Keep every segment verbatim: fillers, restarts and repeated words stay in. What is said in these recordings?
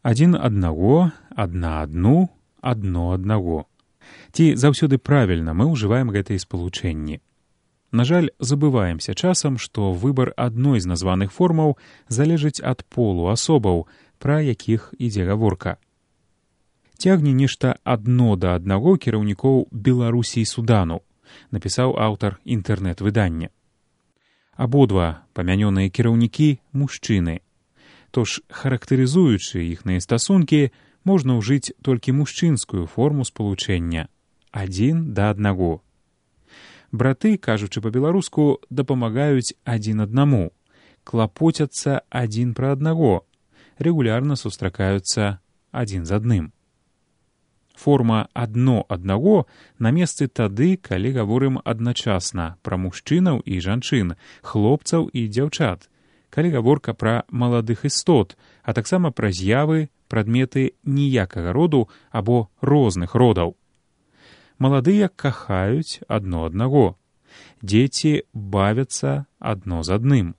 Адзін аднаго, адна адну, адно аднаго. Ці заўсёды правільна мы ўжываем гэтыя спалучэнні. На жаль, забываемся часам, што выбар адной з названых формаў залежыць ад полу асобаў, пра якіх ідзе гаворка. Цягне нешта адно да аднаго кіраўнікоў Беларусі і Судану, напісаў аўтар інтэрнэт-выдання. Абодва памянёныя кіраўнікі – мужчыны. Тож, характарызуючы іхныя стасункі, можна ўжыць толькі мужчынскую форму спалучэння – адзін да аднаго. Браты, кажучы па-беларуску, дапамагаюць адзін аднаму, клапоцяцца адзін пра аднаго, рэгулярна сустракаюцца адзін з адным. Форма «адно аднаго» на месцы тады, калі гаворым адначасна пра мужчынаў і жанчын, хлопцаў і дзяўчат, калі гаворка пра маладых істот, а таксама пра з'явы, прадметы ніякага роду або розных родаў. Маладыя кахаюць адно аднаго. Дзеці бавяцца адно з адным.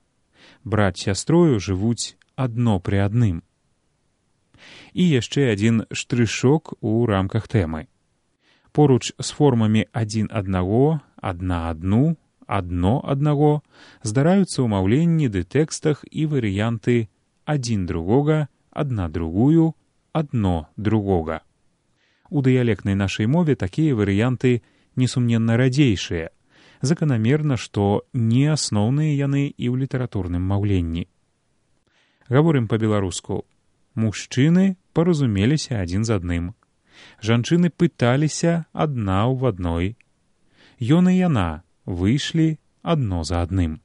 Брат з сястрою жывуць адно пры адным. І яшчэ адзін штрышок у рамках тэмы. Поруч з формамі адзін аднаго, адна адну, адно аднаго здараюцца ў маўленні ды тэкстах і варыянты адзін другога, адна другую, адно другога. У дыялектнай нашай мове такія варыянты несумненна радзейшыя. Заканамерна, што не асноўныя яны і ў літаратурным маўленні. Гаворым па-беларуску. Мужчыны паразумеліся адзін з адным. Жанчыны пыталіся адна ў адной. Ён і яна выйшлі адно за адным.